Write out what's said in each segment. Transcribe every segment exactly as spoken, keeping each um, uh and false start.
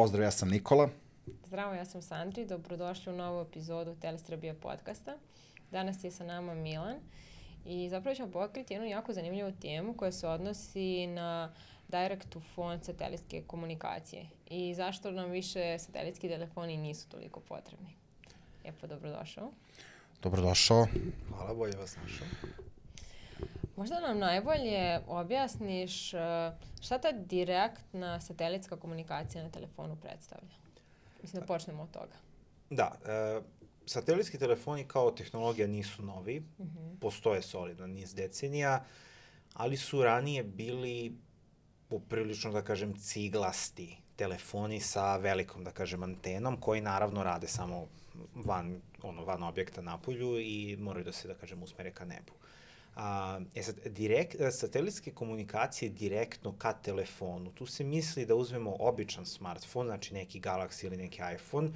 Pozdrav, ja sam Nikola. Zdravo, ja sam Sandri. Dobrodošli u novu epizodu Telestrebija podcasta. Danas je sa nama Milan i zapravo ćemo pokriti jednu jako zanimljivu temu koja se odnosi na direct to phone satelitske komunikacije i zašto nam više satelitski telefoni nisu toliko potrebni. Lijepo, dobrodošao. Dobrodošao. Hvala, bolje vas našao. Možda nam najbolje objasniš šta ta direktna satelitska komunikacija na telefonu predstavlja? Mislim da počnemo od toga. Da, e, satelitski telefoni kao tehnologija nisu novi, Mm-hmm. postoje solidan niz decenija, ali su ranije bili poprilično, da kažem, ciglasti telefoni sa velikom, da kažem, antenom, koji naravno rade samo van, ono, van objekta na polju i moraju da se, da kažem, usmere ka nebu. A, e sad, direkt, satelitske komunikacije direktno ka telefonu, tu se misli da uzmemo običan smartfon, znači neki Galaxy ili neki iPhone,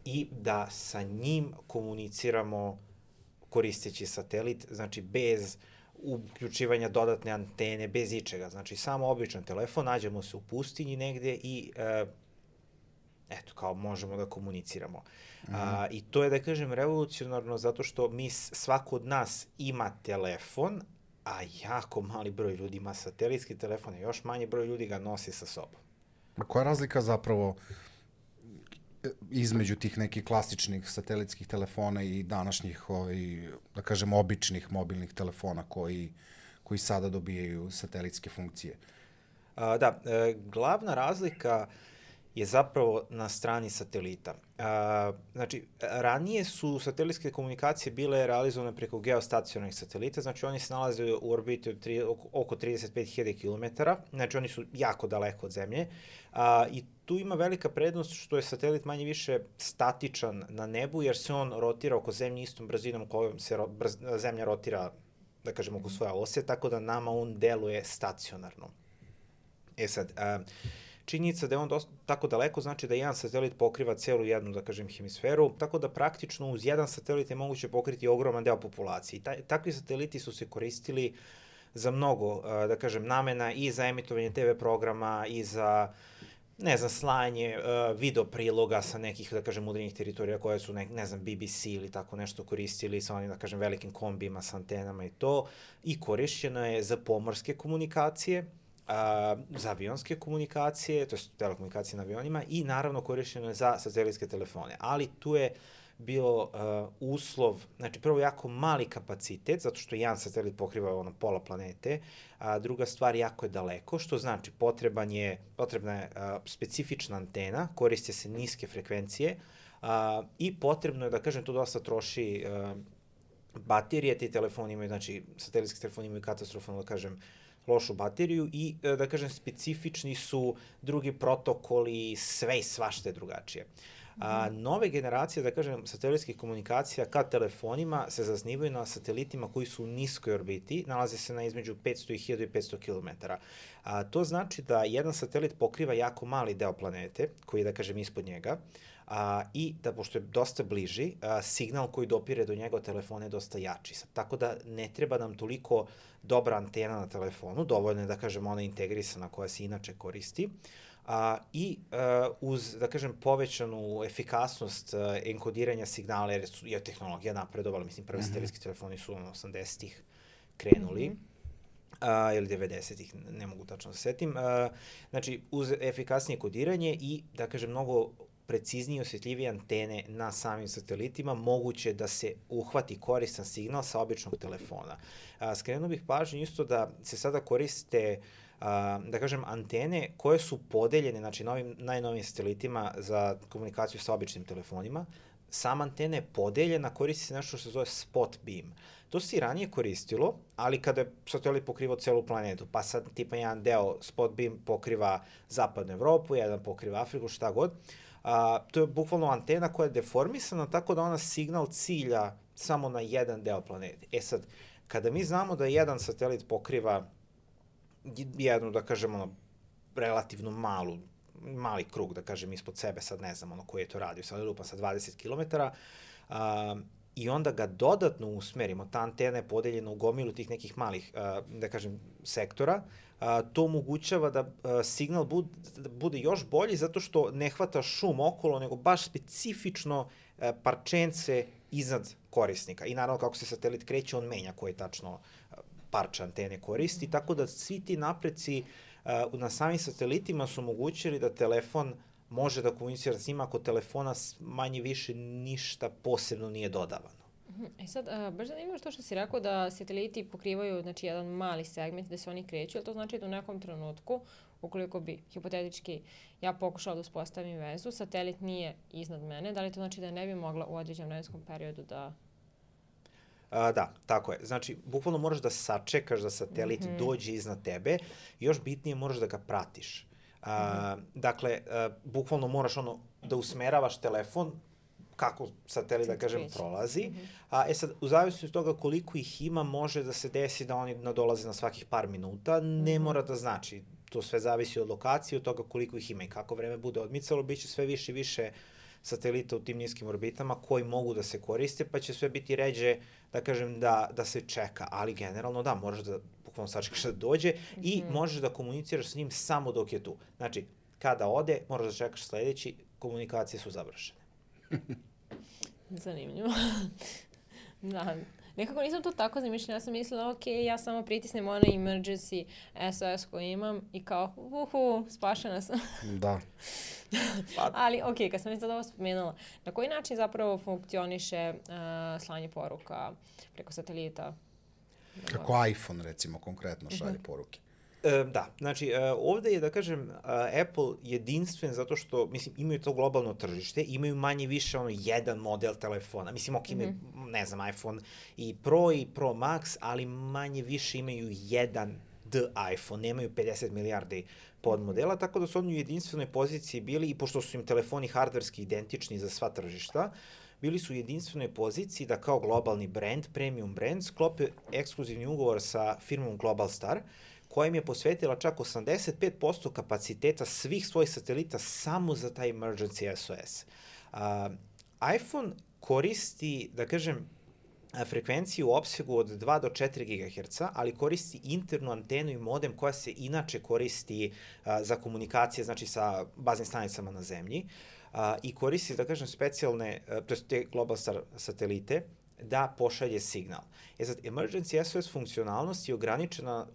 i da sa njim komuniciramo koristeći satelit, znači bez uključivanja dodatne antene, bez ičega. Znači, samo običan telefon, nađemo se u pustinji negde i e, eto, kao možemo da komuniciramo. Mm-hmm. A, I to je, da kažem, revolucionarno zato što mi, svako od nas ima telefon, a jako mali broj ljudi ima satelitski telefon, a još manji broj ljudi ga nosi sa sobom. A koja je razlika zapravo između tih nekih klasičnih satelitskih telefona i današnjih, ovaj, da kažem, običnih mobilnih telefona koji, koji sada dobijaju satelitske funkcije? A, da, e, glavna razlika je zapravo na strani satelita. A, znači, ranije su satelitske komunikacije bile realizovane preko geostacionarnih satelita, znači oni se nalaze u orbiti od tri, oko trideset pet hiljada kilometara, znači oni su jako daleko od Zemlje, a, i tu ima velika prednost što je satelit manje više statičan na nebu, jer se on rotira oko Zemlje istom brzinom kojom se ro, brz, Zemlja rotira, da kažemo, oko svoje ose, tako da nama on deluje stacionarno. E sad, a, činjenica da je on dosta, tako daleko znači da jedan satelit pokriva celu jednu, da kažem, hemisferu, tako da praktično uz jedan satelit je moguće pokriti ogroman deo populacije. Ta, takvi sateliti su se koristili za mnogo, da kažem, namena i za emitovanje te ve programa i za, ne znam, slanje video priloga sa nekih, da kažem, udaljenih teritorija koje su, ne, ne znam, be be ce ili tako nešto koristili sa onim, da kažem, velikim kombijima sa antenama i to. I korišćeno je za pomorske komunikacije, A, za avionske komunikacije, to je telekomunikacije na avionima, i naravno korišćeno je za satelitske telefone. Ali tu je bio uh, uslov, znači prvo jako mali kapacitet, zato što jedan satelit pokriva ono pola planete, a druga stvar jako je daleko, što znači potreban je, potrebna je uh, specifična antena, koriste se niske frekvencije uh, i potrebno je, da kažem, to dosta troši uh, baterije, ti telefoni imaju, znači satelitski telefoni imaju katastrofalno, da kažem, lošu bateriju i, da kažem, specifični su drugi protokoli, sve i svašta je drugačije. A, nove generacije, da kažem, satelitskih komunikacija ka telefonima se zasnivaju na satelitima koji su u niskoj orbiti, nalaze se na između petsto i hiljadu petsto kilometara. A, to znači da jedan satelit pokriva jako mali deo planete, koji je, da kažem, ispod njega, a, i da, pošto je dosta bliži, a, signal koji dopire do njega telefona je dosta jači. Tako da ne treba nam toliko dobra antena na telefonu, dovoljno je, da kažem, ona integrisana koja se inače koristi, a, i a, uz, da kažem, povećanu efikasnost a, enkodiranja signala, jer je tehnologija napredovala, mislim, prvi mm-hmm. satelitski telefoni su ono osamdesetih krenuli, mm-hmm. a, ili devedesetih, ne mogu tačno da se setim, a, znači, uz efikasnije kodiranje i, da kažem, mnogo preciznije i osjetljivije antene na samim satelitima, moguće da se uhvati koristan signal sa običnog telefona. A, skrenuo bih pažnju isto da se sada koriste, a, da kažem, antene koje su podeljene, znači novim, najnovim satelitima za komunikaciju sa običnim telefonima. Sama antena je podeljena, koristi se nešto što se zove spot beam. To se i ranije koristilo, ali kada je satelit pokrivao celu planetu, pa sad tipa jedan deo spot beam pokriva zapadnu Evropu, jedan pokriva Afriku, šta god, a, to je bukvalno antena koja je deformisana tako da ona signal cilja samo na jedan deo planete. E sad, kada mi znamo da jedan satelit pokriva jednu, da kažem, ono, relativno malu, mali krug, da kažem, ispod sebe, sad ne znam ono koji je to radio, sad lupa sa dvadeset kilometara, a, i onda ga dodatno usmerimo, ta antena je podeljena u gomilu tih nekih malih, uh, da kažem, sektora, uh, to omogućava da uh, signal bude, bude još bolji zato što ne hvata šum okolo, nego baš specifično uh, parčence iznad korisnika. I naravno kako se satelit kreće, on menja koji tačno uh, parče antene koristi, tako da svi ti napreci uh, na samim satelitima su omogućili da telefon može da komunicira s njima ako telefona manje više ništa posebno nije dodavano. E sad, a, baš zanimljivo to što si rekao da sateliti pokrivaju, znači, jedan mali segment gde se oni kreću, ali to znači da u nekom trenutku, ukoliko bi, hipotetički, ja pokušala da uspostavim vezu, satelit nije iznad mene, da li to znači da ne bi mogla u određenom vremenskom periodu da... A, da, tako je. Znači, bukvalno moraš da sačekaš da satelit mm-hmm. dođe iznad tebe, još bitnije moraš da ga pratiš. A, mm-hmm. Dakle, a, bukvalno moraš ono da usmeravaš telefon kako satelit, da kažem, prolazi. Mm-hmm. A, e sad, u zavisnosti od toga koliko ih ima, može da se desi da oni nadolaze na svakih par minuta. Ne mm-hmm. mora da znači. To sve zavisi od lokacije, od toga koliko ih ima i kako vreme bude odmicalo. Biće sve više i više satelita u tim niskim orbitama koji mogu da se koriste, pa će sve biti ređe, da kažem, da, da se čeka. Ali generalno da, moraš da bukvalno sačekaš da dođe mm-hmm. i možeš da komuniciraš s njim samo dok je tu. Znači, kada ode, moraš da čekaš sledeći, komunikacije su završene. Zanimljivo. Da, nekako nisam to tako zamišljala. Ja sam mislila, ok, ja samo pritisnem onaj emergency S O S koji imam i kao, uhu, spašena sam. Da. Ali, ok, kad sam mi sad ovo spomenula, na koji način zapravo funkcioniše uh, slanje poruka preko satelita? Kako iPhone, recimo, konkretno šalje uh-huh. poruke. E, da, znači e, ovde je, da kažem, a, Apple jedinstven zato što, mislim, imaju to globalno tržište, imaju manje više ono jedan model telefona, mislim, ok, imaju, mm-hmm. ne znam, iPhone i Pro i Pro Max, ali manje više imaju jedan D iPhone, nemaju pedeset milijardi podmodela, tako da su oni u jedinstvenoj poziciji bili, i pošto su im telefoni hardverski identični za sva tržišta, bili su u jedinstvenoj poziciji da kao globalni brand, premium brand, sklope ekskluzivni ugovor sa firmom Globalstar, koja im je posvetila čak osamdeset pet posto kapaciteta svih svojih satelita samo za taj emergency S O S. Uh, iPhone koristi, da kažem, frekvenciju u opsegu od dva do četiri gigaherca, ali koristi internu antenu i modem koja se inače koristi uh, za komunikacije, znači sa baznim stanicama na zemlji, uh, i koristi, da kažem, specijalne, uh, to je te Globalstar satelite, da pošalje signal. E sad, emergency S O S funkcionalnost je ograničena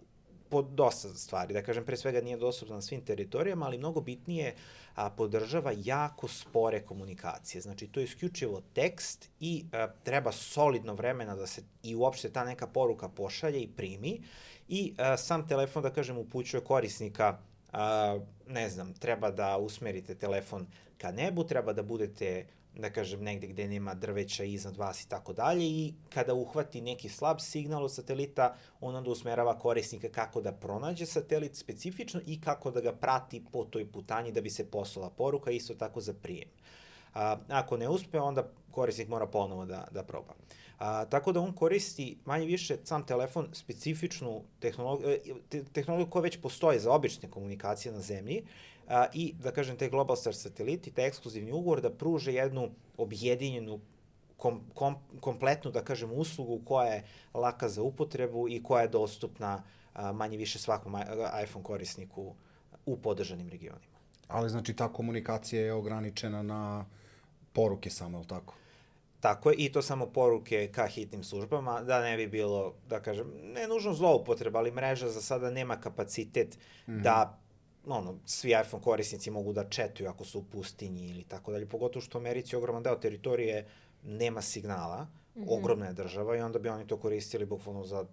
po dosta stvari. Da kažem, pre svega nije dostupna na svim teritorijama, ali mnogo bitnije a, podržava jako spore komunikacije. Znači, to je isključivo tekst i a, treba solidno vremena da se i uopšte ta neka poruka pošalje i primi. I a, sam telefon, da kažem, upućuje korisnika, a, ne znam, treba da usmerite telefon ka nebu, treba da budete, da kažem, negde gde nema drveća iznad vas i tako dalje, i kada uhvati neki slab signal od satelita, on onda usmerava korisnika kako da pronađe satelit specifično i kako da ga prati po toj putanji da bi se poslala poruka, isto tako za prijem. A, ako ne uspe, onda korisnik mora ponovo da, da proba. A, tako da on koristi manje više sam telefon specifičnu tehnologiju, te, tehnologiju koja već postoji za obične komunikacije na zemlji, a, i, da kažem, te Globalstar sateliti, taj ekskluzivni ugovor da pruže jednu objedinjenu, kom, kom, kompletnu, da kažem, uslugu koja je laka za upotrebu i koja je dostupna a, manje više svakom iPhone korisniku u podržanim regionima. Ali znači ta komunikacija je ograničena na poruke samo, je li tako? Tako je, i to samo poruke ka hitnim službama, da ne bi bilo, da kažem, ne nužno zloupotreba, ali mreža za sada nema kapacitet mm-hmm. da ono, svi iPhone korisnici mogu da četuju ako su u pustinji ili tako dalje, pogotovo što u Americi ogroman deo teritorije nema signala, mm-hmm. ogromna je država, i onda bi oni to koristili bukvalno za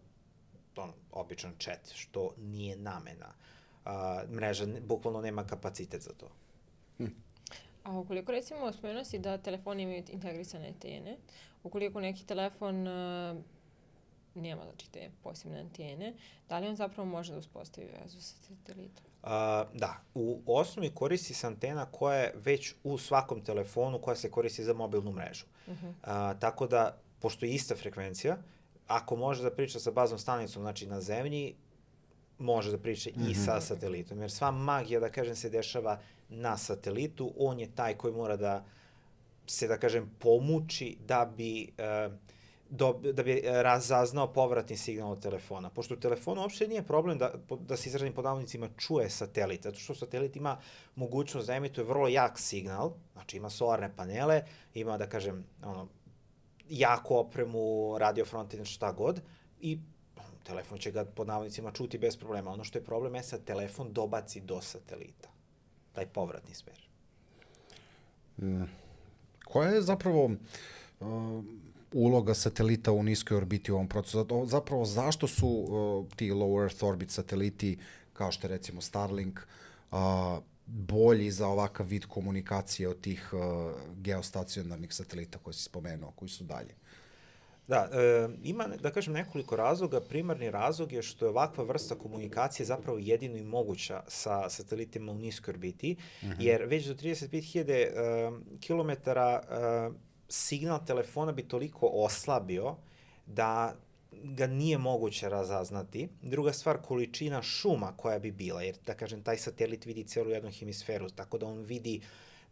ono, običan chat, što nije namena. A, mreža bukvalno nema kapacitet za to. Hm. A ukoliko, recimo, spomenuo si da telefoni imaju integrisane antene, ukoliko neki telefon uh, nema, znači, te posebne antene, da li on zapravo može da uspostavi vezu sa satelitom? Uh, da, u osnovi koristi se antena koja je već u svakom telefonu, koja se koristi za mobilnu mrežu. Uh-huh. Uh, tako da, pošto je ista frekvencija, ako može da priča sa baznom stanicom, znači na zemlji, može da priča mm-hmm. i sa satelitom, jer sva magija, da kažem, se dešava na satelitu, on je taj koji mora da se, da kažem, pomuči da bi, uh, do, da bi razaznao povratni signal od telefona. Pošto u telefonu uopšte nije problem da, da se izrazim pod navodnicima čuje satelit, zato što satelit ima mogućnost da emituje vrlo jak signal, znači ima solarne panele, ima, da kažem, ono, jaku opremu, radio frontend, šta god, i telefon će ga pod navodnicima čuti bez problema. Ono što je problem je sad telefon dobaci do satelita. Taj povratni smer. Mm. Koja je zapravo uh, uloga satelita u niskoj orbiti u ovom procesu? Zapravo zašto su uh, ti low Earth orbit sateliti, kao što je recimo Starlink, uh, bolji za ovakav vid komunikacije od tih uh, geostacionarnih satelita koje si spomenuo, koji su dalje? Da, e, ima, da kažem, nekoliko razloga. Primarni razlog je što je ovakva vrsta komunikacije zapravo jedino i moguća sa satelitima u niskoj orbiti, mm-hmm. jer već do trideset pet hiljada e, kilometara e, signal telefona bi toliko oslabio da ga nije moguće razaznati. Druga stvar, količina šuma koja bi bila, jer, da kažem, taj satelit vidi celu jednu hemisferu, tako da on vidi,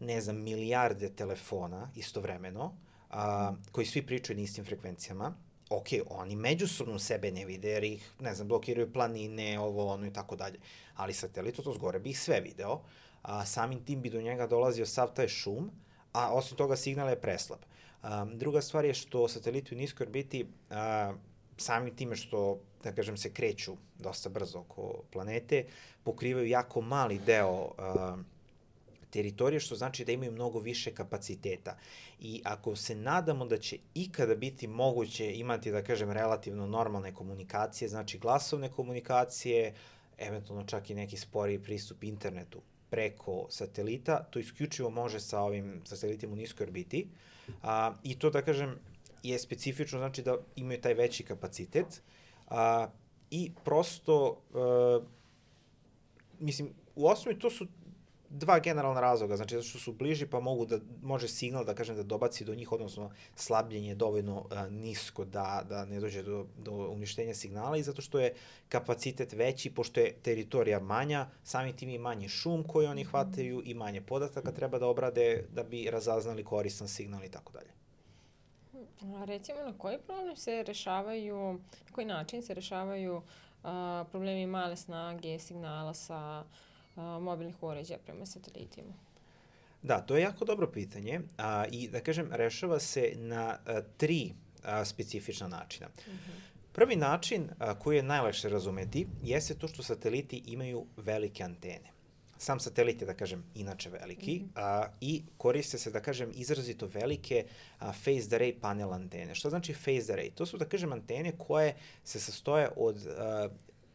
ne znam, milijarde telefona istovremeno, a, koji svi pričaju na istim frekvencijama. Ok, oni međusobno sebe ne vide, jer ih, ne znam, blokiraju planine, ovo, ono i tako dalje. Ali satelit od zgore bi ih sve video, a samim tim bi do njega dolazio sav taj šum, a osim toga signal je preslab. A, druga stvar je što sateliti u niskoj orbiti, a, samim time što, da kažem, se kreću dosta brzo oko planete, pokrivaju jako mali deo a, teritorije, što znači da imaju mnogo više kapaciteta. I ako se nadamo da će ikada biti moguće imati, da kažem, relativno normalne komunikacije, znači glasovne komunikacije, eventualno čak i neki sporiji pristup internetu preko satelita, to isključivo može sa ovim satelitima u niskoj orbiti. A, I to, da kažem, je specifično, znači da imaju taj veći kapacitet. A, I prosto, a, mislim, u osnovi to su dva generalna razloga, znači zato što su bliži pa mogu da, može signal, da kažem, da dobaci do njih, odnosno slabljenje je dovoljno a, nisko da, da ne dođe do, do uništenja signala, i zato što je kapacitet veći, pošto je teritorija manja, samim tim i manji šum koji oni hvataju i manje podataka treba da obrade da bi razaznali koristan signal i tako dalje. A recimo, na koji problem se rešavaju, na koji način se rešavaju a, problemi male snage signala sa a, mobilnih uređaja prema satelitima? Da, to je jako dobro pitanje, a, i da kažem, rešava se na a, tri a, specifična načina. Uh-huh. Prvi način a, koji je najlakše razumeti jeste to što sateliti imaju velike antene. Sam satelit je, da kažem, inače veliki, mm-hmm. a, i koriste se, da kažem, izrazito velike a, phased array panel antene. Što znači phased array? To su, da kažem, antene koje se sastoje od a,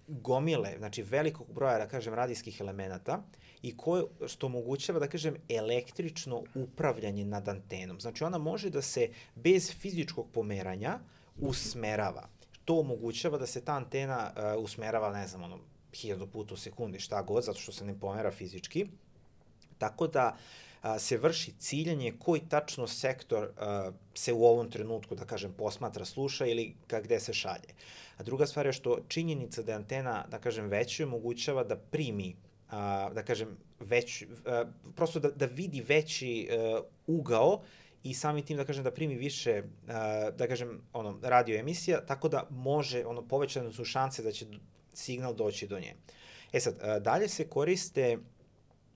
gomile, znači velikog broja, da kažem, radijskih elemenata, i koje, što omogućava, da kažem, električno upravljanje nad antenom. Znači ona može da se bez fizičkog pomeranja usmerava. To omogućava da se ta antena a, usmerava, ne znam, ono, hiljadu puta u sekundi, šta god, zato što se ne pomera fizički. Tako da a, se vrši ciljanje koji tačno sektor a, se u ovom trenutku, da kažem, posmatra, sluša ili ka gde se šalje. A druga stvar je što činjenica da je antena, da kažem, veća, omogućava da primi, a, da kažem, već, a, prosto da, da vidi veći a, ugao, i samim tim, da kažem, da primi više, a, da kažem, ono, radio emisija, tako da može, ono, povećane su šanse da će signal doći do nje. E sad, dalje se koriste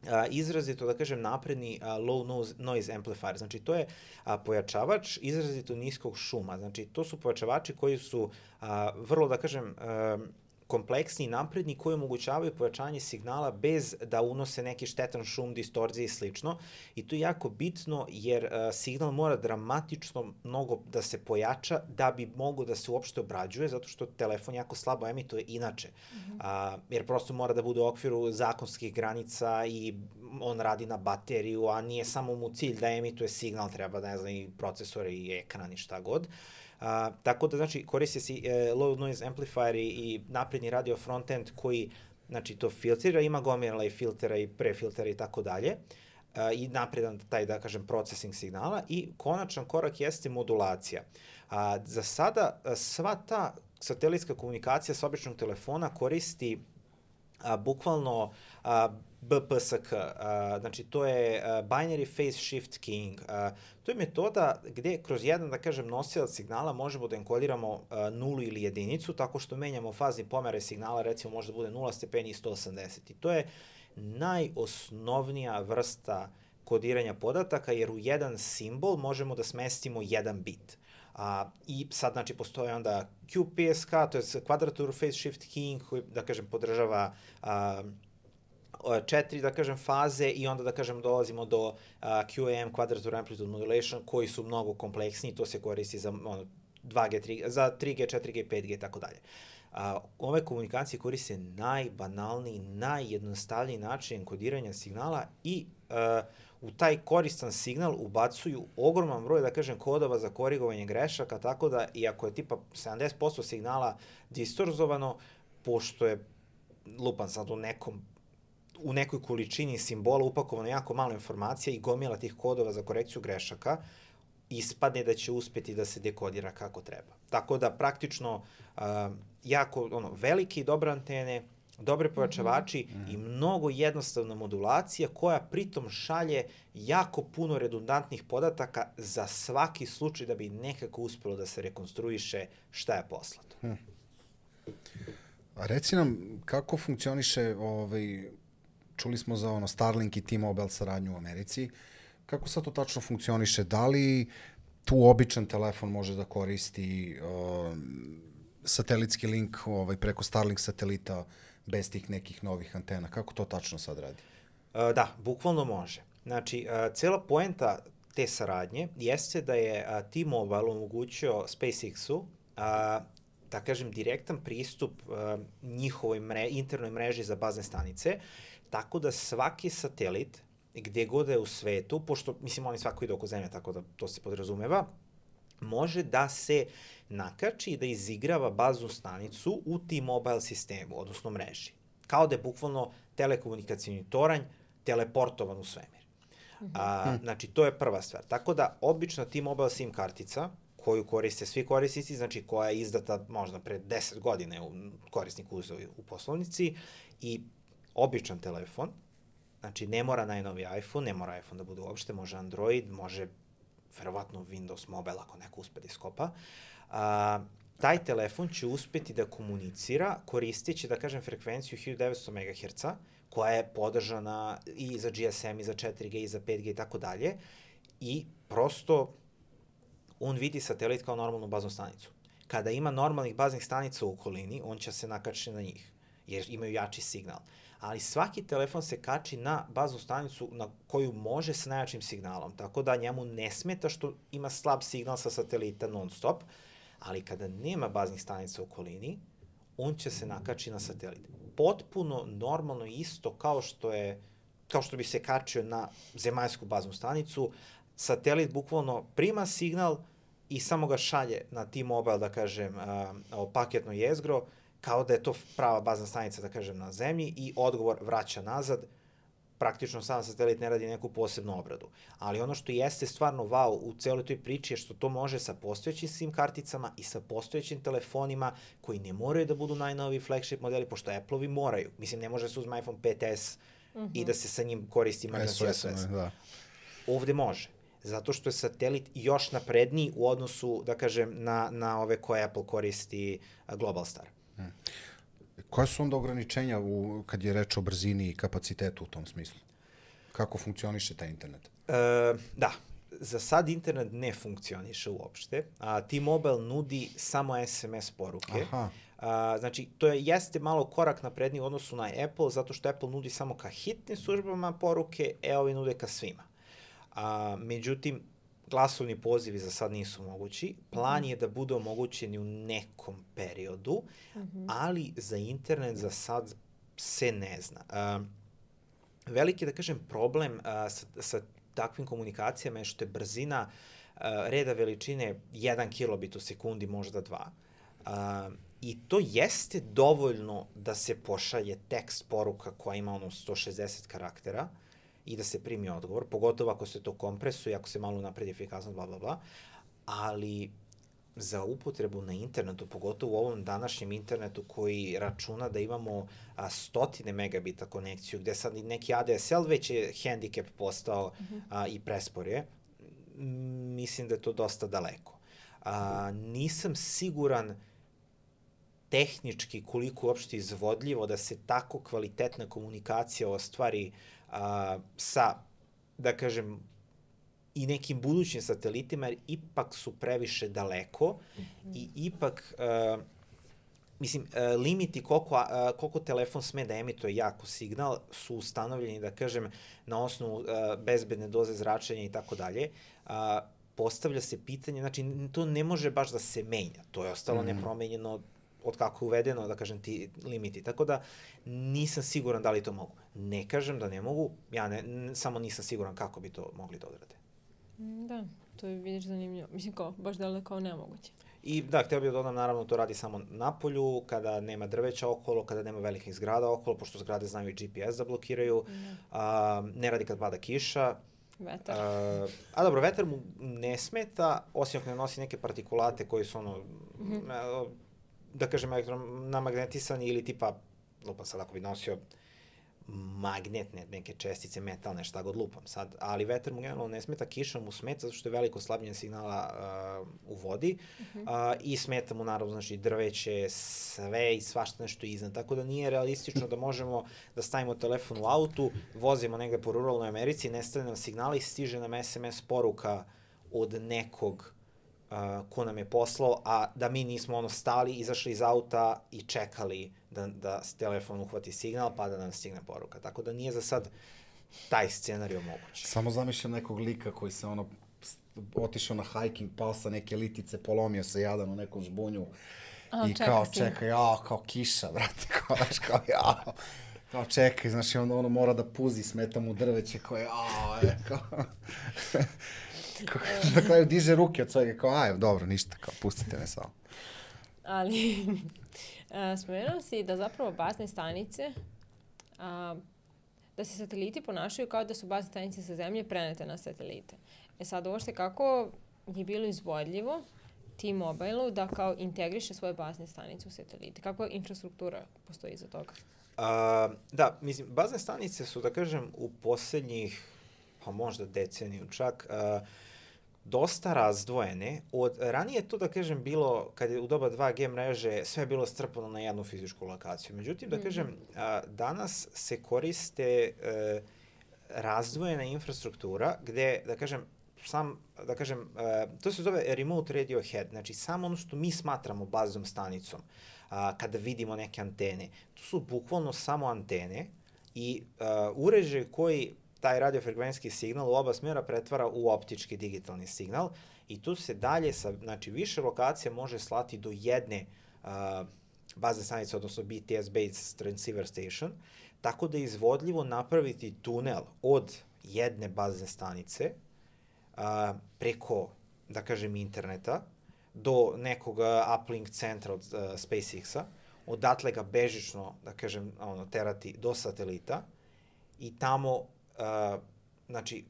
a, izrazito, da kažem, napredni a, low noise amplifier. Znači, to je a, pojačavač izrazito niskog šuma. Znači, to su pojačavači koji su a, vrlo, da kažem, a, kompleksni i napredni, koji omogućavaju pojačanje signala bez da unose neki štetan šum, distorzije i slično. I to je jako bitno, jer a, signal mora dramatično mnogo da se pojača da bi mogo da se uopšte obrađuje, zato što telefon jako slabo emituje inače. Mm-hmm. a, jer prosto mora da bude u okviru zakonskih granica i on radi na bateriju, a nije samo mu cilj da emituje signal, treba, ne znam, i procesor i ekran i šta god. Uh, tako da, znači, koriste se uh, low noise amplifier i napredni radio frontend koji, znači, to filtrira, ima gomila i filtera i prefiltera i tako dalje, i napredan taj, da kažem, processing signala, i konačan korak jeste modulacija. Uh, za sada uh, sva ta satelitska komunikacija s običnog telefona koristi a, bukvalno a, B P S K, a, znači to je a, Binary Phase Shift Keying. A, to je metoda gde kroz jedan, da kažem, nosilac signala možemo da enkodiramo a, nulu ili jedinicu, tako što menjamo fazni pomere signala, recimo može da bude nula stepeni i sto osamdeset. I to je najosnovnija vrsta kodiranja podataka, jer u jedan simbol možemo da smestimo jedan bit. A, I sad, znači, postoje onda Q P S K, to je Quadrature Phase Shift Keying, koji, da kažem, podržava a, četiri, da kažem, faze i onda, da kažem, dolazimo do uh, Q A M, Quadrature Amplitude Modulation, koji su mnogo kompleksniji, to se koristi za ono, dva G, tri, za tri G, četiri G, pet G i tako dalje. Ove komunikacije koriste najbanalniji, najjednostavniji način enkodiranja signala i uh, u taj koristan signal ubacuju ogroman broj, da kažem, kodova za korigovanje grešaka, tako da, iako je tipa sedamdeset posto signala distorzovano, pošto je lupan sad u nekom u nekoj količini simbola upakovano jako malo informacija i gomila tih kodova za korekciju grešaka, ispadne da će uspeti da se dekodira kako treba. Tako da praktično uh, jako ono, velike i dobre antene, dobre pojačavači mm -hmm. i mnogo jednostavna modulacija koja pritom šalje jako puno redundantnih podataka za svaki slučaj da bi nekako uspelo da se rekonstruiše šta je poslato. Hmm. A reci nam kako funkcioniše, ovaj, čuli smo za ono Starlink i T-Mobile saradnju u Americi, kako sad to tačno funkcioniše? Da li tu običan telefon može da koristi uh, satelitski link ovaj, preko Starlink satelita bez tih nekih novih antena? Kako to tačno sad radi? Uh, da, bukvalno može. Znači, uh, cela poenta te saradnje jeste da je uh, T-Mobile omogućio SpaceX-u uh, da kažem, direktan pristup uh, njihovoj mre, internoj mreži za bazne stanice, tako da svaki satelit, gde god je u svetu, pošto, mislim, oni svako ide oko zemlje, tako da to se podrazumeva, može da se nakači i da izigrava baznu stanicu u T-Mobile sistemu, odnosno mreži. Kao da je bukvalno telekomunikacijni toranj teleportovan u svemir. Mm-hmm. A, znači, to je prva stvar. Tako da, obična T-Mobile SIM kartica, koju koriste svi korisnici, znači koja je izdata možda pre deset godine u korisniku uzeo u poslovnici, i običan telefon, znači ne mora najnoviji iPhone, ne mora iPhone da bude uopšte, može Android, može verovatno Windows Mobile ako neko uspe da iskopa, a, taj telefon će uspeti da komunicira koristeći, da kažem, frekvenciju hiljadu devetsto megaherca, koja je podržana i za G S M, i za četiri G, i za pet G i tako dalje, i prosto on vidi satelit kao normalnu baznu stanicu. Kada ima normalnih baznih stanica u okolini, on će se nakačiti na njih, jer imaju jači signal. Ali svaki telefon se kači na baznu stanicu na koju može sa najjačim signalom, tako da njemu ne smeta što ima slab signal sa satelita non stop, ali kada nema baznih stanica u okolini, on će se nakači na satelit. Potpuno normalno isto kao što je, kao što bi se kačio na zemaljsku baznu stanicu, satelit bukvalno prima signal i samo ga šalje na T-Mobile, da kažem, uh, paketno jezgro, kao da je to prava bazna stanica, da kažem, na zemlji, i odgovor vraća nazad. Praktično sam satelit ne radi neku posebnu obradu. Ali ono što jeste stvarno wow u celoj toj priči je što to može sa postojećim SIM karticama i sa postojećim telefonima koji ne moraju da budu najnoviji flagship modeli, pošto Apple-ovi moraju. Mislim, ne može da se uzme iPhone pet S mm-hmm. i da se sa njim koristi emergency S O S. Da. Ovde može. Zato što je satelit još napredniji u odnosu, da kažem, na, na ove koje Apple koristi Globalstar. Hmm. Koja su onda ograničenja u, kad je reč o brzini i kapacitetu u tom smislu? Kako funkcioniše taj internet? E, da, za sad internet ne funkcioniše uopšte. A, T-Mobile nudi samo S M S poruke. Aha. A, znači, to je, jeste malo korak napredniji u odnosu na Apple, zato što Apple nudi samo ka hitnim službama poruke, e ovi nude ka svima. A, međutim, glasovni pozivi za sad nisu mogući. Plan je da bude omogućeni u nekom periodu, mm-hmm. ali za internet za sad se ne zna. Uh, veliki, da kažem, problem uh, sa, sa takvim komunikacijama je što je brzina uh, reda veličine jedan kilobit u sekundi, možda dva. Uh, I to jeste dovoljno da se pošalje tekst poruka koja ima ono sto šezdeset karaktera, i da se primi odgovor, pogotovo ako se to kompresuje, ako se malo napredi efikasnost, bla, bla, bla. Ali za upotrebu na internetu, pogotovo u ovom današnjem internetu koji računa da imamo a, stotine megabita konekciju, gde sad neki A D S L već je hendikep postao a, i prespor je, mislim da je to dosta daleko. A, nisam siguran tehnički koliko uopšte izvodljivo da se tako kvalitetna komunikacija ostvari a, sa, da kažem, i nekim budućim satelitima, jer ipak su previše daleko mm-hmm. i ipak, uh, mislim, uh, limiti koliko, uh, koliko telefon sme da emituje jako signal su ustanovljeni, da kažem, na osnovu uh, bezbedne doze zračenja i tako dalje. Postavlja se pitanje, znači, to ne može baš da se menja. To je ostalo mm-hmm. nepromenjeno od kako je uvedeno, da kažem, ti limiti. Tako da nisam siguran da li to mogu. Ne kažem da ne mogu, ja ne, n- samo nisam siguran kako bi to mogli da odrade. Da, to je, vidiš, zanimljivo. Mislim, kao, baš da li kao nemoguće. I da, htio bih da dodam, naravno, to radi samo na polju, kada nema drveća okolo, kada nema velikih zgrada okolo, pošto zgrade znaju i G P S da blokiraju, mm. a, ne radi kad pada kiša. Vetar. A, a dobro, vetar mu ne smeta, osim ako ne nosi neke partikulate koji su ono, mm-hmm. da kažem, namagnetisani ili tipa, lupam sad ako bi nosio magnetne neke čestice, metalne, šta god lupam sad, ali vetar mu generalno ne smeta, kiša mu smeta zato što je veliko slabljenje signala uh, u vodi uh-huh. uh, i smeta mu naravno, znači, drveće, sve i svašta nešto iznad, tako da nije realistično da možemo da stavimo telefon u autu, vozimo negde po ruralnoj Americi, nestane nam signala i stiže nam S M S poruka od nekog uh, ko nam je poslao, a da mi nismo ono stali, izašli iz auta i čekali da, da telefon uhvati signal, pa da nam stigne poruka. Tako da nije za sad taj scenarij moguć. Samo zamišljam nekog lika koji se ono otišao na hiking, pao sa neke litice, polomio se jadan u nekom žbunju A, i kao čeka, ja, kao kiša, brate, kao, znaš, kao, ja, kao čekaj, znaš, i onda ono mora da puzi, smeta mu drveće, kao, ja, je, kao, na kraju diže ruke od svega, kao, aj, dobro, ništa, kao, pustite me samo. Ali, spomenuo si da zapravo bazne stanice, a, da se sateliti ponašaju kao da su bazne stanice sa zemlje prenete na satelite. E sad, ovo što kako je bilo izvodljivo T-Mobile-u da kao integriše svoje bazne stanice u satelite? Kakva infrastruktura postoji iza toga? A, da, mislim, bazne stanice su, da kažem, u poslednjih, pa možda deceniju čak, a, dosta razdvojene. Od, ranije to, da kažem, bilo, kad je u doba dva G mreže, sve je bilo strpano na jednu fizičku lokaciju. Međutim, da kažem, a, danas se koriste a, razdvojena infrastruktura gde, da kažem, sam, da kažem, uh, to se zove remote radio head, znači samo ono što mi smatramo baznom stanicom, uh, kada vidimo neke antene. To su bukvalno samo antene i uh, uređaj koji taj radiofrekvencijski signal u oba smjera pretvara u optički digitalni signal i tu se dalje sa, znači, više lokacija može slati do jedne uh, bazne stanice, odnosno B T S-based transceiver station, tako da je izvodljivo napraviti tunel od jedne bazne stanice a, preko, da kažem, interneta do nekog uplink centra od uh, SpaceX-a, odatle ga bežično, da kažem, ono, terati do satelita i tamo, uh, znači,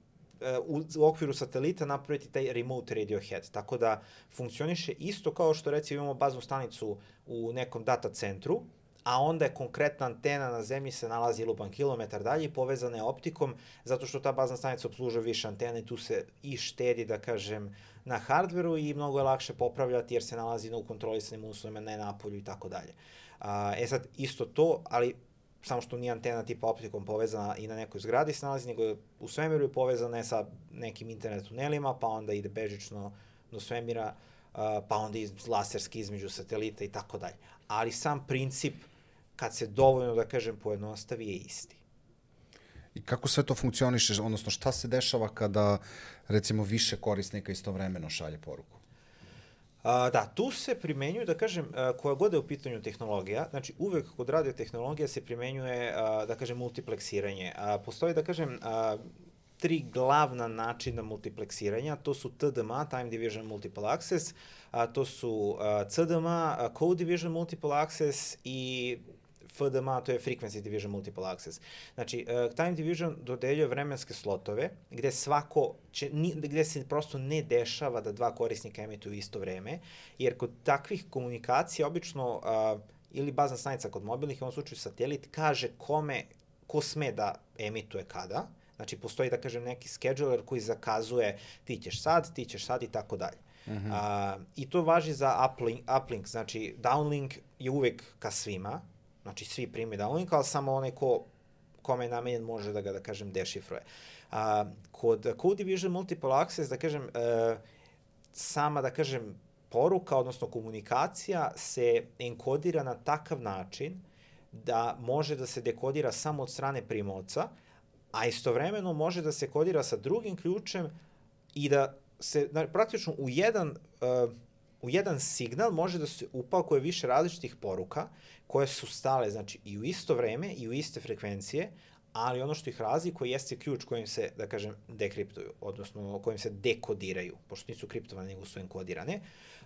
u, u okviru satelita napraviti taj remote radio head, tako da funkcioniše isto kao što, recimo, imamo baznu stanicu u nekom data centru, a onda je konkretna antena na zemlji se nalazi lupan kilometar dalje i povezana je optikom, zato što ta bazna stanica obslužuje više antene i tu se i štedi, da kažem, na hardveru i mnogo je lakše popravljati jer se nalazi na ukontrolisanim uslovima, ne na polju i tako dalje. E sad, isto to, ali samo što nije antena tipa optikom povezana i na nekoj zgradi se nalazi, nego u svemiru je povezana je sa nekim internet tunelima, pa onda ide bežično do svemira, pa onda iz, laserski između satelita i tako dalje. Ali sam princip, kad se dovoljno, da kažem, pojednostavi, je isti. I kako sve to funkcioniše, odnosno šta se dešava kada, recimo, više korisnika istovremeno šalje poruku? A, da, tu se primenjuju, da kažem, a, koja god je u pitanju tehnologija, znači uvek kod radiotehnologija se primenjuje, a, da kažem, multipleksiranje. A, postoji, da kažem, a, tri glavna načina multipleksiranja, to su T D M A, Time Division Multiple Access, a, to su a, C D M A, a, Code Division Multiple Access i F D M A, to je Frequency Division Multiple Access. Znači, uh, Time Division dodeljuje vremenske slotove gde svako će, ni, gde se prosto ne dešava da dva korisnika emituju isto vreme, jer kod takvih komunikacija obično uh, ili bazna stanica kod mobilnih, u ovom slučaju satelit, kaže kome, ko sme da emituje kada. Znači, postoji, da kažem, neki scheduler koji zakazuje ti ćeš sad, ti ćeš sad i tako dalje. Uh, I to važi za uplink, uplink, znači downlink je uvek ka svima, znači svi prime downlink, ali samo onaj ko, kome je namenjen može da ga, da kažem, dešifruje. Uh, kod Code Division Multiple Access, da kažem, uh, sama, da kažem, poruka, odnosno komunikacija se enkodira na takav način da može da se dekodira samo od strane primaoca, a istovremeno može da se kodira sa drugim ključem i da se praktično u jedan, uh, u jedan signal može da se upakuje više različitih poruka koje su stale, znači, i u isto vreme i u iste frekvencije, ali ono što ih razlikuje jeste ključ kojim se, da kažem, dekriptuju, odnosno kojim se dekodiraju, pošto nisu kriptovane, nego su enkodirane.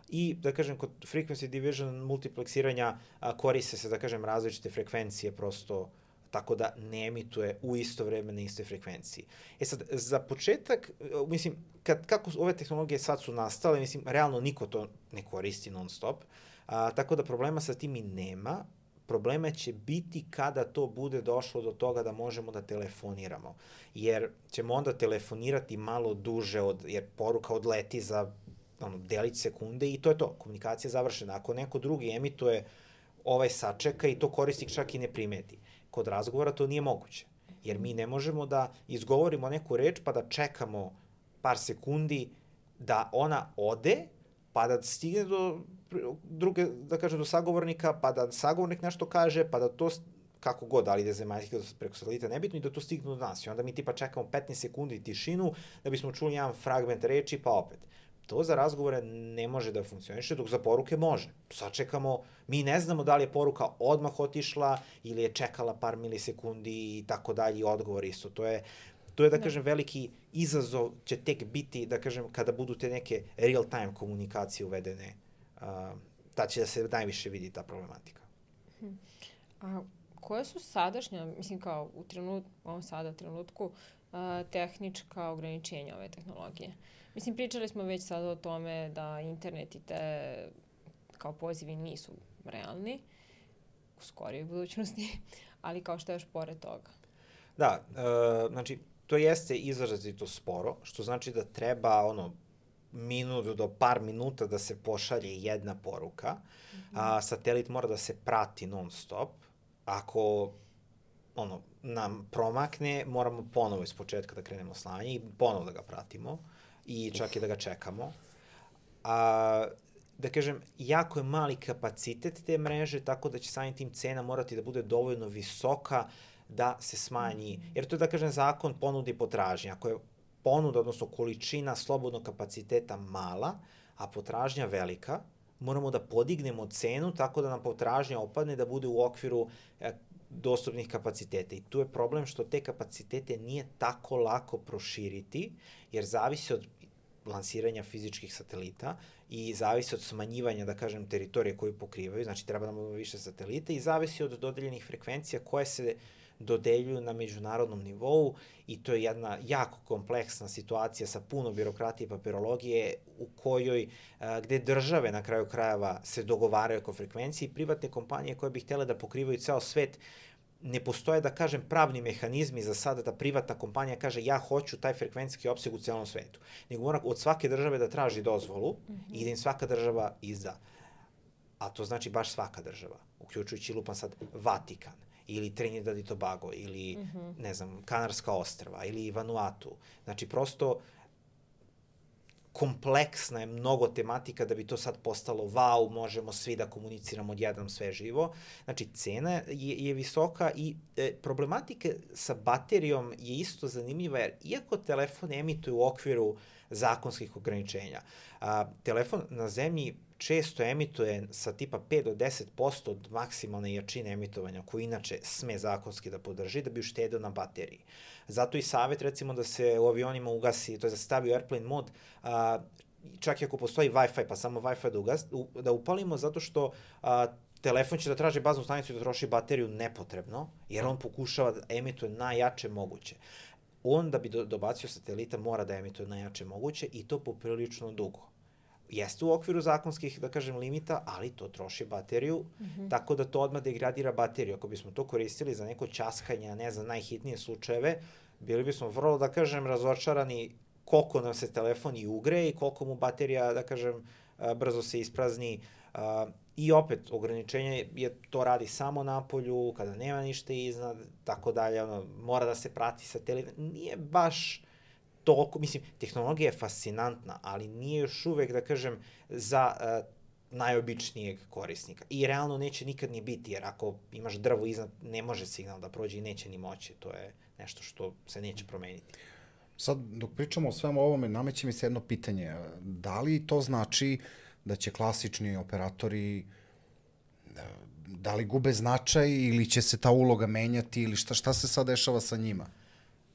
I, da kažem, kod frequency division multipleksiranja a, koriste se, da kažem, različite frekvencije, prosto tako da ne emituje u isto vreme na istoj frekvenciji. E sad, za početak, mislim, kad, kako ove tehnologije sad su nastale, mislim, realno niko to ne koristi non stop, a, tako da problema sa tim i nema. Problema će biti kada to bude došlo do toga da možemo da telefoniramo, jer ćemo onda telefonirati malo duže, od, jer poruka odleti za ono, delić sekunde i to je to, komunikacija je završena. Ako neko drugi emituje, ovaj sačeka i to korisnik čak i ne primeti. Kod razgovora to nije moguće, jer mi ne možemo da izgovorimo neku reč pa da čekamo par sekundi da ona ode, pa da stigne do druge, da kaže, do sagovornika, pa da sagovornik nešto kaže, pa da to, kako god, da li ide zemaljski preko satelita, nebitno, i da to stigne do nas. I onda mi tipa čekamo petnaest sekundi tišinu da bismo čuli jedan fragment reči, pa opet. To za razgovore ne može da funkcioniše, dok za poruke može. Sačekamo, mi ne znamo da li je poruka odmah otišla ili je čekala par milisekundi i tako dalje, i odgovor isto. To je, to je, da kažem, veliki izazov će tek biti, da kažem, kada budu te neke real-time komunikacije uvedene, uh, ta će da se najviše vidi ta problematika. A koje su sadašnja, mislim kao u trenutku, u ovom sada trenutku, uh, tehnička ograničenja ove tehnologije? Mislim, pričali smo već sada o tome da internet i te kao pozivi nisu realni u skorijoj budućnosti, ali kao što je još pored toga. Da, uh, znači, to jeste izrazito sporo, što znači da treba ono minut do par minuta da se pošalje jedna poruka, mm-hmm. a satelit mora da se prati non stop. Ako ono nam promakne, moramo ponovo iz početka da krenemo slanje i ponovo da ga pratimo i čak i da ga čekamo. A, da kažem, jako je mali kapacitet te mreže, tako da će samim tim cena morati da bude dovoljno visoka da se smanji, jer to je, da kažem, zakon ponude i potražnje. Ako je ponuda, odnosno količina slobodnog kapaciteta mala, a potražnja velika, moramo da podignemo cenu tako da nam potražnja opadne, da bude u okviru e, dostupnih kapaciteta. I tu je problem što te kapacitete nije tako lako proširiti, jer zavisi od lansiranja fizičkih satelita i zavisi od smanjivanja, da kažem, teritorije koju pokrivaju, znači treba nam više satelita, i zavisi od dodeljenih frekvencija koje se dodeljuju na međunarodnom nivou, i to je jedna jako kompleksna situacija sa puno birokratije i papirologije u kojoj, a, gde države na kraju krajeva se dogovaraju oko frekvencije i privatne kompanije koje bi htjele da pokrivaju ceo svet. Ne postoje, da kažem, pravni mehanizmi za sada da privatna kompanija kaže ja hoću taj frekvencijski opseg u celom svetu. Nego mora od svake države da traži dozvolu mm-hmm. i da im svaka država izda. A to znači baš svaka država, uključujući lupan sad Vatikan, ili Trinidad i Tobago, ili, mm-hmm. ne znam, Kanarska ostrva, ili Vanuatu. Znači, prosto kompleksna je mnogo tematika da bi to sad postalo wow, možemo svi da komuniciramo odjednom sve živo. Znači, cena je, je visoka i e, problematika sa baterijom je isto zanimljiva, jer iako telefon emituje u okviru zakonskih ograničenja, a, telefon na zemlji često emituje sa tipa pet do deset posto od maksimalne jačine emitovanja, koju inače sme zakonski da podrži, da bi uštedeo na bateriji. Zato i savjet, recimo, da se u avionima ugasi, to je da se stavi u airplane mod, a, čak i ako postoji Wi-Fi, pa samo Wi-Fi da, ugas, u, da upalimo, zato što a, telefon će da traži baznu stanicu i da troši bateriju nepotrebno, jer on pokušava da emituje najjače moguće. On da bi do, dobacio satelita mora da emituje najjače moguće i to poprilično dugo. Jeste u okviru zakonskih, da kažem, limita, ali to troši bateriju, mm-hmm. tako da to odmah degradira bateriju. Ako bismo to koristili za neko ćaskanje, ne znam, najhitnije slučajeve, bili bismo vrlo, da kažem, razočarani koliko nam se telefon i ugre i koliko mu baterija, da kažem, brzo se isprazni. I opet, ograničenje je to radi samo napolju, kada nema ništa iznad, tako dalje, ono, mora da se prati satelit. Nije baš toliko, mislim, tehnologija je fascinantna, ali nije još uvek, da kažem, za uh, najobičnijeg korisnika. I realno neće nikad ni biti, jer ako imaš drvo iznad, ne može signal da prođe i neće ni moći. To je nešto što se neće promeniti. Sad, dok pričamo o svemu ovome, nameće mi se jedno pitanje. Da li to znači da će klasični operatori, da li gube značaj ili će se ta uloga menjati ili šta, šta se sad dešava sa njima?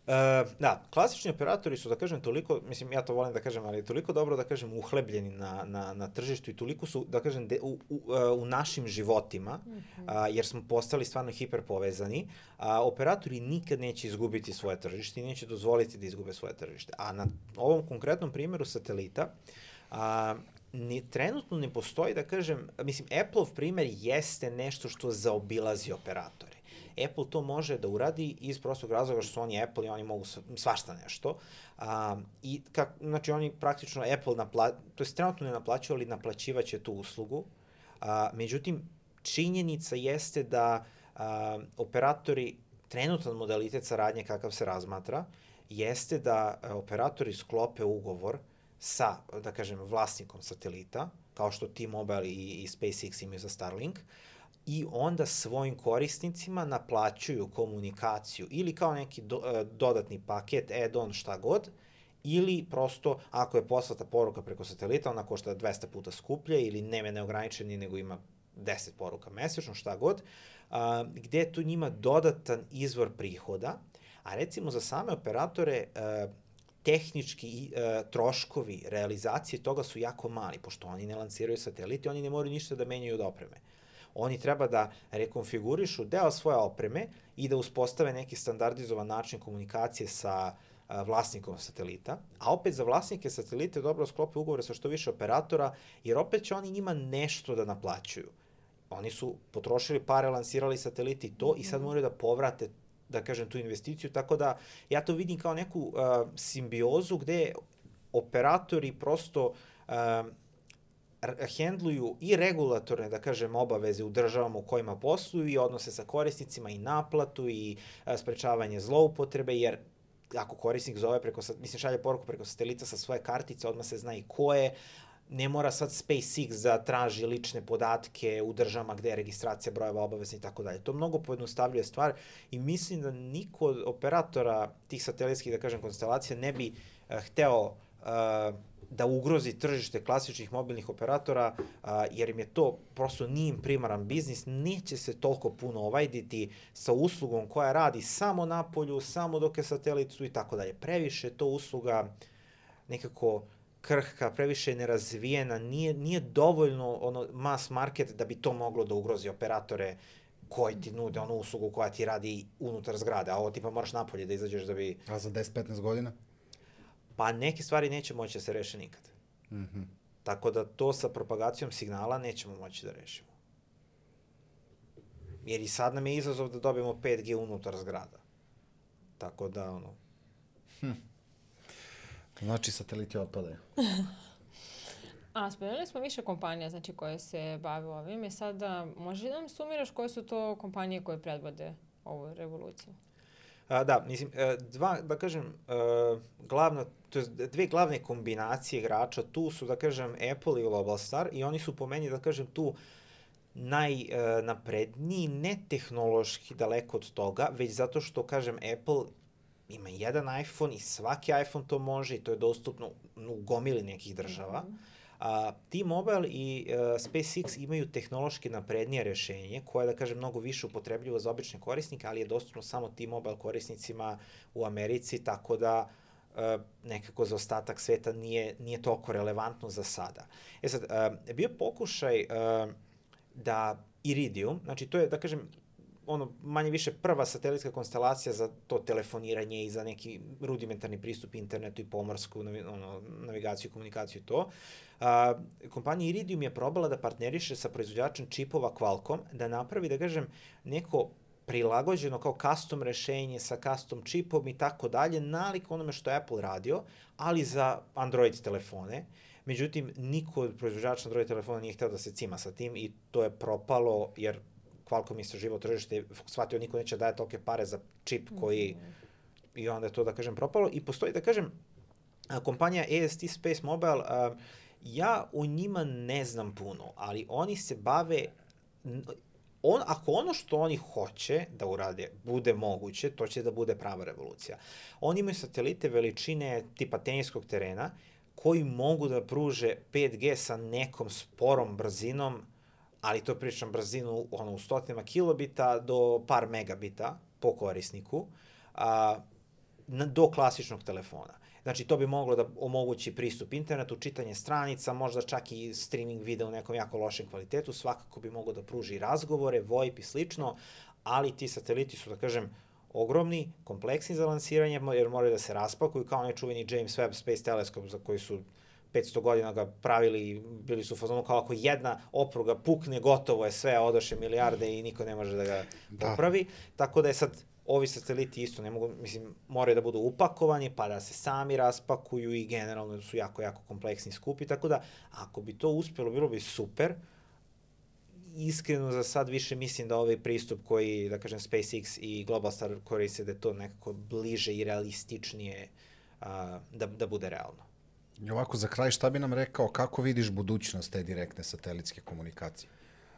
E, da, klasični operatori su, da kažem, toliko, mislim, ja to volim da kažem, ali toliko dobro, da kažem, uhlebljeni na, na, na tržištu i toliko su, da kažem, de, u, u, u našim životima, mm-hmm. a, jer smo postali stvarno hiperpovezani, a operatori nikad neće izgubiti svoje tržište i neće dozvoliti da izgube svoje tržište. A na ovom konkretnom primjeru satelita, a, ni, trenutno ne postoji, da kažem, mislim, Apple-ov primjer jeste nešto što zaobilazi operatore. Apple to može da uradi iz prostog razloga što su oni Apple i oni mogu svašta nešto. A, i kak, znači oni praktično Apple napla, to je trenutno ne naplaćuju, ali naplaćivaće tu uslugu. A, međutim, činjenica jeste da a, operatori, trenutan modalitet saradnje kakav se razmatra, jeste da a, operatori sklope ugovor sa, da kažem, vlasnikom satelita, kao što T-Mobile i, i SpaceX imaju za Starlink, i onda svojim korisnicima naplaćuju komunikaciju ili kao neki do, dodatni paket, add-on, šta god, ili prosto, ako je poslata poruka preko satelita, ona košta dvesta puta skuplje ili nema neograničeni, nego ima deset poruka mesečno, šta god, a, gde je tu njima dodatan izvor prihoda, a recimo za same operatore a, tehnički uh, troškovi realizacije toga su jako mali, pošto oni ne lanciraju satelite, oni ne moraju ništa da menjaju od opreme. Oni treba da rekonfigurišu deo svoje opreme i da uspostave neki standardizovan način komunikacije sa uh, vlasnikom satelita, a opet za vlasnike satelite dobro sklope ugovore sa što više operatora, jer opet će oni njima nešto da naplaćuju. Oni su potrošili pare, lansirali sateliti i to i sad moraju da povrate, da kažem, tu investiciju, tako da ja to vidim kao neku uh, simbiozu gde operatori prosto uh, hendluju i regulatorne, da kažem, obaveze u državama u kojima posluju i odnose sa korisnicima i naplatu i uh, sprečavanje zloupotrebe, jer ako korisnik zove preko, mislim, šalje poruku preko satelita sa svoje kartice, odmah se zna i ko je, ne mora sad SpaceX da traži lične podatke u državama gde je registracija brojeva obavezna i tako dalje. To mnogo pojednostavljuje stvar i mislim da niko od operatora tih satelitskih, da kažem, konstelacija ne bi uh, hteo uh, da ugrozi tržište klasičnih mobilnih operatora, uh, jer im je to prosto nije im primaran biznis, neće se toliko puno ovajditi sa uslugom koja radi samo na polju, samo dok je satelit su i tako dalje. Previše to usluga nekako krhka, previše nerazvijena, nije, nije dovoljno ono mass market da bi to moglo da ugrozi operatore koji ti nude onu uslugu koja ti radi unutar zgrade, a ovo tipa moraš napolje da izađeš da bi... A za deset do petnaest godina? Pa neke stvari neće moći da se reše nikad. Mm-hmm. Tako da to sa propagacijom signala nećemo moći da rešimo. Jer i sad nam je izazov da dobijemo pet G unutar zgrada. Tako da, ono... Hm. Znači, sateliti otpadaju. A, spomenuli smo više kompanija, znači, koje se bave ovim. I sada, možeš da nam sumiraš koje su to kompanije koje predvode ovu revoluciju? A, da, mislim, dva, da kažem, glavna, to je dve glavne kombinacije igrača tu su, da kažem, Apple i Globalstar i oni su po meni, da kažem, tu najnapredniji, ne tehnološki daleko od toga, već zato što, kažem, Apple ima jedan iPhone i svaki iPhone to može i to je dostupno u gomili nekih država. Mm-hmm. A, T-Mobile i uh, SpaceX imaju tehnološki naprednije rešenje koje, da kažem, mnogo više upotrebljivo za obične korisnike, ali je dostupno samo T-Mobile korisnicima u Americi, tako da uh, nekako za ostatak sveta nije, nije toliko relevantno za sada. E sad, uh, bio pokušaj uh, da Iridium, znači to je, da kažem, ono, manje više prva satelitska konstelacija za to telefoniranje i za neki rudimentarni pristup internetu i pomorsku ono, navigaciju, komunikaciju i to. A, kompanija Iridium je probala da partneriše sa proizvođačem čipova Qualcomm, da napravi, da kažem, neko prilagođeno kao custom rešenje sa custom čipom i tako dalje, nalik onome što je Apple radio, ali za Android telefone. Međutim, niko od proizvođača Android telefona nije hteo da se cima sa tim i to je propalo, jer Qualcomm istraživao tržište, shvatio niko neće daje tolike pare za čip koji, mm-hmm. i onda je to, da kažem, propalo. I postoji, da kažem, kompanija A S T Space Mobile, a, ja o njima ne znam puno, ali oni se bave, on, ako ono što oni hoće da urade bude moguće, to će da bude prava revolucija. Oni imaju satelite veličine tipa teniskog terena, koji mogu da pruže pet G sa nekom sporom brzinom, ali to pričam brzinu ono, u stotinama kilobita do par megabita po korisniku, a, na, do klasičnog telefona. Znači, to bi moglo da omogući pristup internetu, čitanje stranica, možda čak i streaming videa u nekom jako lošem kvalitetu, svakako bi moglo da pruži razgovore, VoIP i slično, ali ti sateliti su, da kažem, ogromni, kompleksni za lansiranje, jer moraju da se raspakuju, kao onaj čuveni James Webb Space Telescope za koji su petsto godina ga pravili, bili su u fazonu kao ako jedna opruga pukne, gotovo je sve, odoše milijarde i niko ne može da ga popravi. Da. Tako da je sad, ovi sateliti isto ne mogu, mislim, moraju da budu upakovani, pa da se sami raspakuju i generalno su jako, jako kompleksni skupi, tako da ako bi to uspjelo, bilo bi super. Iskreno za sad više mislim da ovaj pristup koji, da kažem, SpaceX i Globalstar koriste, da je to nekako bliže i realističnije a, da, da bude realno. I ovako, za kraj, šta bi nam rekao, kako vidiš budućnost te direktne satelitske komunikacije?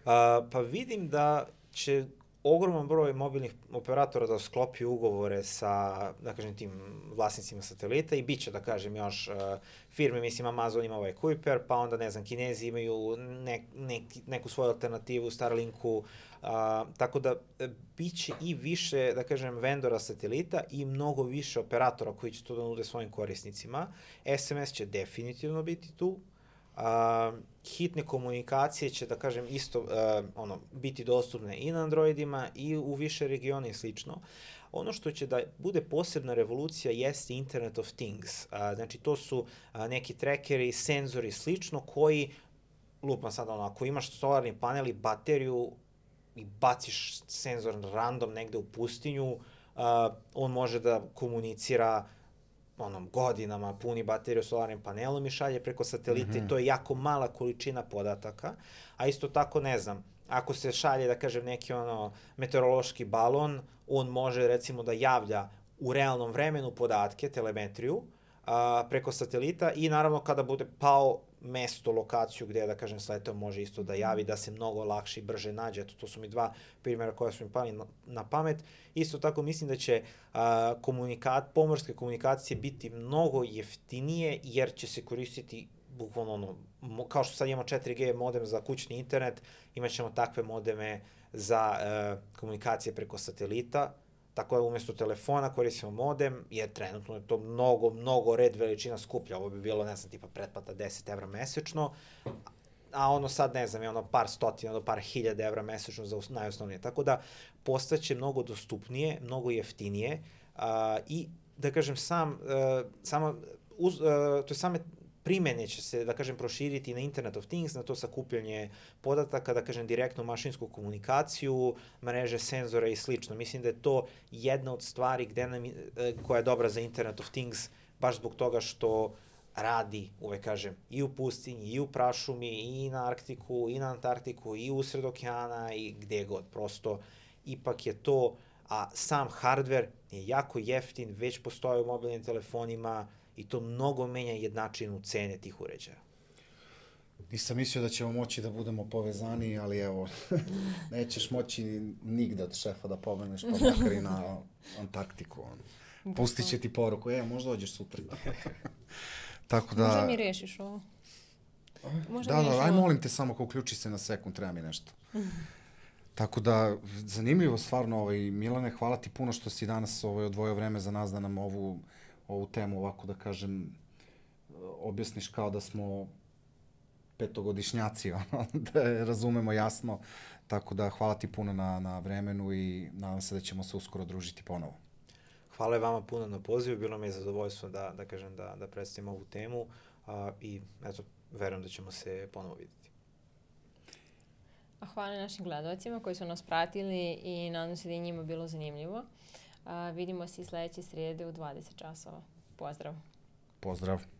A, pa vidim da će ogroman broj mobilnih operatora da sklopi ugovore sa, da kažem, tim vlasnicima satelita i bit će, da kažem, još uh, firme, mislim, Amazon ima ovaj Kuiper, pa onda, ne znam, Kinezi imaju ne, ne, neku svoju alternativu Starlinku, uh, tako da bit će i više, da kažem, vendora satelita i mnogo više operatora koji će to da nude svojim korisnicima. S M S će definitivno biti tu. Uh, hitne komunikacije će, da kažem, isto uh, ono, biti dostupne i na Androidima i u više regiona i slično. Ono što će da bude posebna revolucija jeste Internet of Things. Uh, znači, to su uh, neki trackeri, senzori i slično koji, lupam sad ono, ako imaš solarni panel i bateriju i baciš senzor random negde u pustinju, uh, on može da komunicira onom godinama, puni bateriju solarnim panelom i šalje preko satelita mm-hmm. i to je jako mala količina podataka, a isto tako, ne znam, ako se šalje, da kažem, neki ono meteorološki balon, on može recimo da javlja u realnom vremenu podatke, telemetriju, a, preko satelita i naravno kada bude pao mesto, lokaciju gde, da kažem, sletao može isto da javi, da se mnogo lakše i brže nađe. Eto, to su mi dva primjera koja su mi pali na, na pamet. Isto tako mislim da će a, komunikat, pomorske komunikacije biti mnogo jeftinije jer će se koristiti bukvalno ono, mo, kao što sad imamo četiri G modem za kućni internet, imat ćemo takve modeme za a, komunikacije preko satelita. Tako da umjesto telefona koristimo modem, jer trenutno je to mnogo, mnogo red veličina skuplja. Ovo bi bilo, ne znam, tipa pretplata deset evra mesečno, a ono sad, ne znam, je ono par stotina do par hiljada evra mesečno za najosnovnije. Tako da postaće mnogo dostupnije, mnogo jeftinije a, i, da kažem, sam, a, sama, uz, a, to je same primene će se, da kažem, proširiti na Internet of Things, na to sakupljanje podataka, da kažem, direktnu mašinsku komunikaciju, mreže, senzora i slično. Mislim da je to jedna od stvari gde nam, koja je dobra za Internet of Things, baš zbog toga što radi, uvek kažem, i u pustinji, i u prašumi, i na Arktiku, i na Antarktiku, i usred okeana, i gde god. Prosto, ipak je to, a sam hardware je jako jeftin, već postoje u mobilnim telefonima, i to mnogo menja jednačinu cene tih uređaja. Nisam mislio da ćemo moći da budemo povezani, ali evo, nećeš moći nigde od šefa da pomeneš, pa makar i na Antarktiku. Pustit će ti poruku, e, možda dođeš sutra. Tako da... Možda mi rešiš ovo. Možda da, da, aj molim te samo, ako uključi se na sekund, treba mi nešto. Tako da, zanimljivo stvarno, ovaj, Milane, hvala ti puno što si danas ovaj, odvojio vreme za nas da nam ovu ovu temu, ovako da kažem, objasniš kao da smo petogodišnjaci, ono, da je razumemo jasno. Tako da hvala ti puno na, na vremenu i nadam se da ćemo se uskoro družiti ponovo. Hvala vama puno na pozivu, bilo mi je zadovoljstvo da, da kažem da, da predstavim ovu temu a, i eto, verujem da ćemo se ponovo vidjeti. A hvala našim gledalcima koji su nas pratili i nadam se da je njima bilo zanimljivo. A, vidimo se i sledeće srijede u dvadeset časova. Pozdrav! Pozdrav!